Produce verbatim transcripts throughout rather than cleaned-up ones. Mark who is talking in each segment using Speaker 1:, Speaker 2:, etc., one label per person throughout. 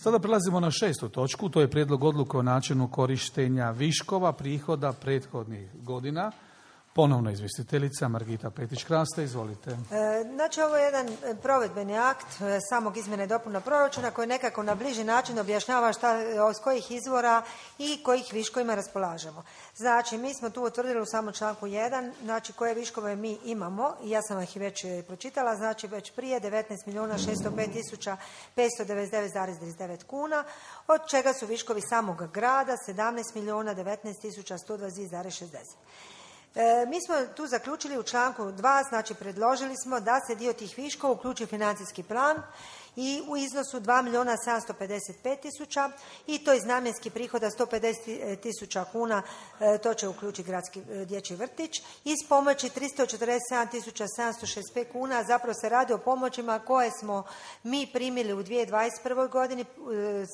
Speaker 1: Sada prelazimo na šestu točku, to je prijedlog odluke o načinu korištenja viškova prihoda prethodnih godina. Ponovno izvjestiteljica Margita Petić-Kraste, izvolite.
Speaker 2: E, znači, ovo je jedan provedbeni akt e, samog izmjene i dopuna proračuna koji nekako na bliži način objašnjava šta, s kojih izvora i kojih viškovima raspolažemo. Znači, mi smo tu utvrdili u samom članku jedan, znači koje viškove mi imamo, i ja sam ih već pročitala, znači već prije devetnaest milijuna šesto pet tisuća petsto devedeset devet zarez trideset devet kuna, od čega su viškovi samog grada sedamnaest milijuna devetnaest tisuća sto dvadeset dva zarez šezdeset. E, mi smo tu zaključili u članku dva, znači predložili smo da se dio tih viškova uključi u financijski plan i u iznosu dva milijuna sedamsto pedeset pet tisuća i to iz namjenskih prihoda sto pedeset tisuća kuna, e, to će uključiti gradski e, dječji vrtić, iz pomoći tristo četrdeset sedam tisuća sedamsto šezdeset pet kuna, zapravo se radi o pomoćima koje smo mi primili u dvije tisuće dvadeset prve godini, e,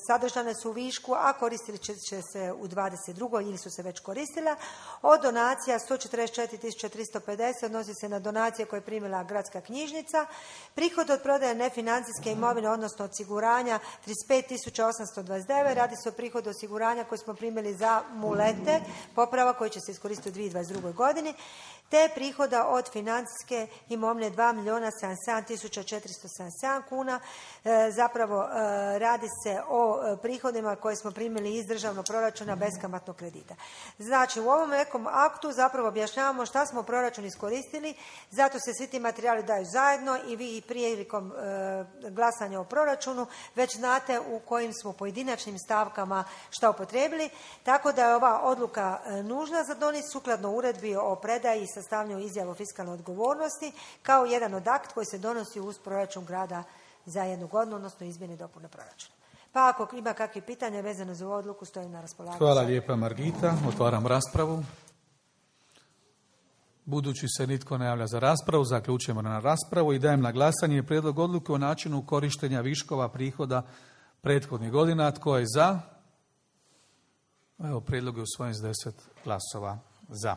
Speaker 2: sadržane su u višku, a koristili će, će se u dvadeset drugoj ili su se već koristila. Od donacija sto četrdeset četiri tisuće tristo pedeset odnosi se na donacije koje je primila gradska knjižnica, prihod od prodaje nefinancijske imovine odnosno osiguranja trideset pet tisuća osamsto dvadeset devet, radi se o prihodu osiguranja koje smo primili za mulete, poprava koji će se iskoristiti u dvije tisuće dvadeset drugoj godini, te prihoda od financijske imovine dva milijuna sedamdeset sedam tisuća četiristo sedamdeset sedam kuna. E, zapravo e, radi se o e, prihodima koje smo primili iz državnog proračuna beskamatnog kredita. Znači, u ovom nekom aktu zapravo objašnjavamo šta smo u proračunu iskoristili, zato se svi ti materijali daju zajedno i vi prilikom e, glasanja o proračunu već znate u kojim smo pojedinačnim stavkama šta upotrijebili, tako da je ova odluka e, nužna za donijeti sukladno uredbi o predaji i sastavljanju izjave o fiskalnoj odgovornosti kao jedan od akt koji se donosi uz proračun grada za jednu godinu, odnosno izmjene i dopune proračuna. Pa ako ima kakve pitanja vezano za ovu odluku, stojim na raspolaganju.
Speaker 1: Hvala lijepa, Margita. Otvaram raspravu. Budući se nitko ne javlja za raspravu, zaključujemo na raspravu i dajem na glasanje prijedlog odluke o načinu korištenja viškova prihoda prethodnih godina. Tko je za? Evo, prijedlog je usvojen s deset glasova za.